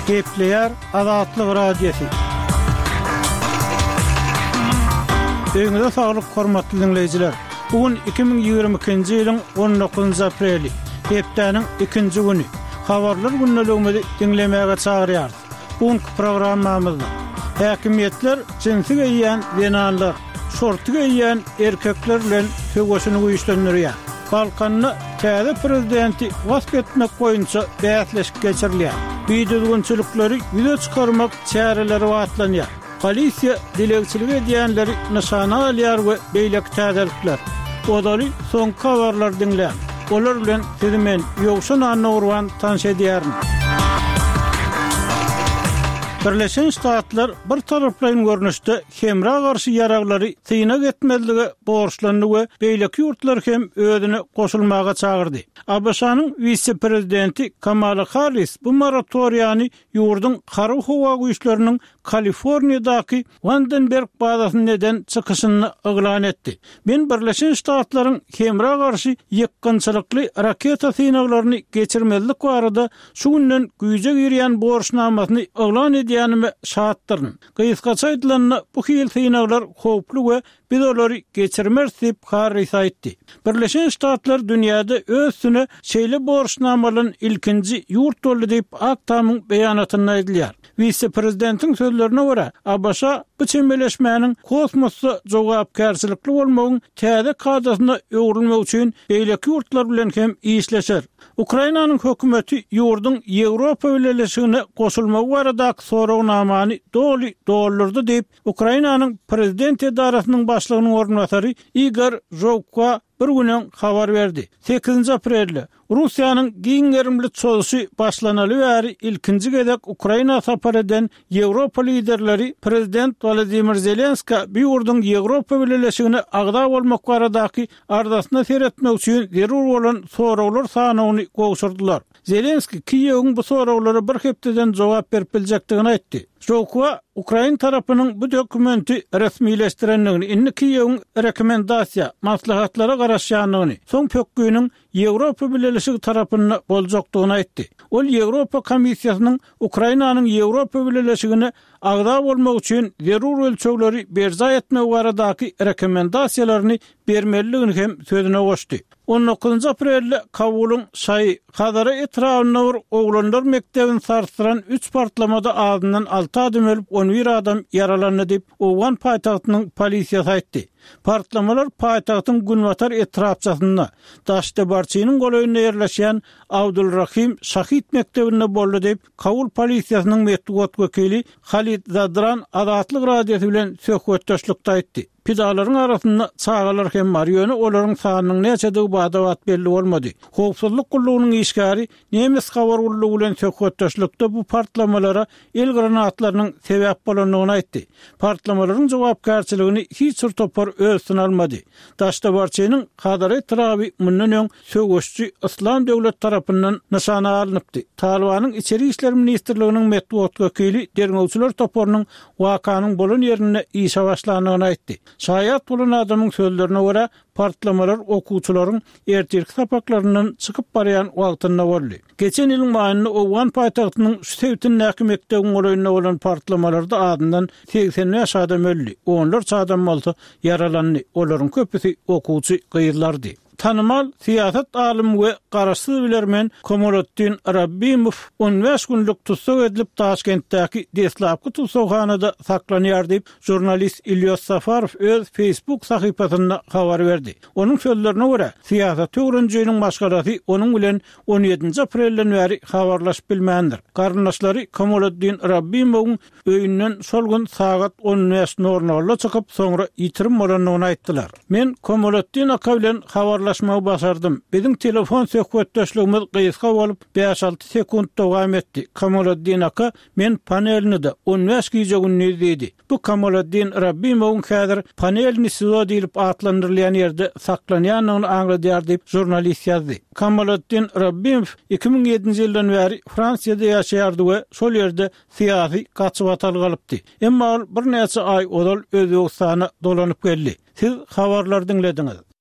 Gepleýär Azatlyk Radiosy. Öýüňize saglyk hormatly diňleýjiler. Bu gün 2022-nji ýylyň 19-njy apreli, hepdäniň ikinji güni. Habarlar gündeligimizi diňlemäge çagyrýarys. Bu günki programmamyzda häkimiýetler jinsi geýýän zenanlar, şorty geýýän erkekler bilen söweşini güýçlendirýär. Balkanda täze prezidenti wasp etmek boýunça bäsleşik geçirilýär. Bidüzgünçilikleri ýüze çykarmak çäreleri batlanýar. Polisiýa dilegçilik edýänleri nyşana alýar we beýleki täzelikler. Ozaly soňky habarlary diňläň. Olar bilen sizi men, Ýowşan Annagurban tanyş edýärin. Birleşen Ştatlar bir taraplaýyn görnüşde hemra garşy ýaraglary synag etmezlige borçlandy we beýleki ýurtlary hem özüne goşulmaga çagyrdy. ABŞ-nyň wise-prezidenti Kamala Harris bu moratoriýany ýurduň Harby-howa güýçleriniň Kaliforniýadaky Wandenberg bazasynda eden çykyşynda yglan etdi. Men Birleşen Ştatlaryň hemra garşy ýykgynçylykly raketa synaglaryny geçirmezlik barada şu günden güýje girýän borçnamasyny yglan edýänime şatdyryn. Gysgaça aýdylanda, bu hili synaglar howply we Biz olary geçirmeris diýip, Harris aýtdy. Birleşen Ştatlar dünýäde öz üstüne şeýle borçnama alan ilkinji ýurt boldy diýip, Ak Tamyň beýanatynda aýdylýar. Wise-prezidentiň sözlerine görä, ABŞ bu çemeleşmäniň kosmosda jogapkärçilikli bolmagyň täze kadasyna öwrülmegi üçin beýleki ýurtlar bilen hem işleşer. Ukrainanyň hökümeti ýurduň Ýewropa Bileleşigine goşulmagy baradaky soragnamany doly doldurdy diýip, Ukrainanyň prezident edarasynyň başlygynyň orunbasary Igor Žowkwa bir gün öň habar berdi. Sekizinji aprelde, Russiýanyň giň gerimli çozuşy başlanaly bäri ilkinji gezek Ukraina sapar eden Ýewropa liderleri prezident Wolodymyr Zelenskä bu ýurduň Ýewropa Bileleşigine agza bolmak baradaky arzasyna seretmek üçin zerur bolan soraglar sanawyny gowşurdylar. Zelenskiý Kiýewiň bu soraglara bir hepdeden jogap berip biljekdigini aýtdy. Žowkwa ukrain tarapynyň bu dokumenti resmileşdirendigini, indi Kiýewiň rekomendasiýa, maslahatlara garaşýandygyny, soň pökginiň Ýewropa Bileleşigi tarapynda boljakdygyny aýtdy. Ol Ýewropa Komissiýasynyň Ukrainanyň Ýewropa Bileleşigine agza bolmagy üçin zerur ölçegleri berjaý etmegi baradaky rekomendasiýalaryny bermelidigini hem sözüne goşdy. On dokuzynjy aprelde Kabulyň Şaýy Hazara etrabynda bir oglanlar mekdebini sarsdyran üç partlamada azyndan alty adam ölüp, on bir adam ýaralandy diýip, owgan paýtagtynyň polisiýasy aýtdy. Partlamalar paýtagtyň günbatar etrapçasynda, Daşdebarçynyň golaýynda ýerleşýän Abdulrahim Şahid mekdebinde boldy diýip, Kabul polisiýasynyň metbugat wekili Halid Zadran Azatlyk Radiosy bilen söhbetdeşlikde aýtdy. Pidalaryň arasynda çagalar hem bar, ýöne olaryň sanynyň näçedigi bada-bat belli bolmady. Howpsuzlyk gullugynyň işgäri nemes habar gullugy bilen söhbetdeşlikde bu partlamalara el granatlarynyň sebäp bolandygyny aýtdy. Partlamalaryň jogapkärçiligini hiç bir topar öz üstüne almady. Daşdabarçynyň Hazara etraby mundan öň söweşiji Yslam döwleti tarapyndan nyşana alnypdy. Talybanyň Içeri işler ministrliginiň metbugat wekili derňewçiler toparynyň wakanyň bolan ýerinde işe başlandygyny aýtdy. Şaýat bolan adamyň sözlerine görä, partlamalar okuwçylaryň ertirki sapaklaryndan çykyp barýan wagtynda boldy. Geçen ýylyň maýynda owgan paýtagtynyň şu sebitindäki mekdebiň golaýynda bolan partlamalarda azyndan 85 adam öldi, onlarça adam bolsa ýaralandy, olaryň köpüsi okuwçy gyzlardy. Tanymal syýasat alymy we garaşsyz bilermen Komoliddin Rabbimow 15 günlük tussag edilip, Daşkentdäki deslapky tussaghanada saklanýar diýip, žurnalist Ilýos Safarow öz Facebook sahypasynda habar berdi. Onuň sözlerine görä, syýasaty öwrenijiniň maşgalasy onuň bilen on ýedinji aprelden bäri habarlaşyp bilmändir. Garyndaşlary Komoliddin Rabbimowyň Öýünden şol gün sagat on bäş nol nolda çykyp, soňra ýitirim bolandygyny aýtdylar. Men Komaletdin aka bilen habarlaşmagy başardym. Biziň telefon söhbetdeşligimiz gysga bolup, bäş-alty sekunt dowam etdi. Komaletdin aka, Men Panelnide, on bäş gije-gündiz diýdi. Bu Kamaladdin Rabbimowyň häzir Panelni SIZO diýlip atlandyrylýan ýerde saklanýandygyny aňladýar diýip, žurnalist ýazdy. Kamaladdin Rabbimow 2007-nji ýyldan bäri Fransiýada ýaşaýardy we şol ýerde syýasy gaçybatalga alypdy. Emma ol birnäçe aý ozal Özbegistana dolanyp geldi. Siz habarlary diňlediňiz.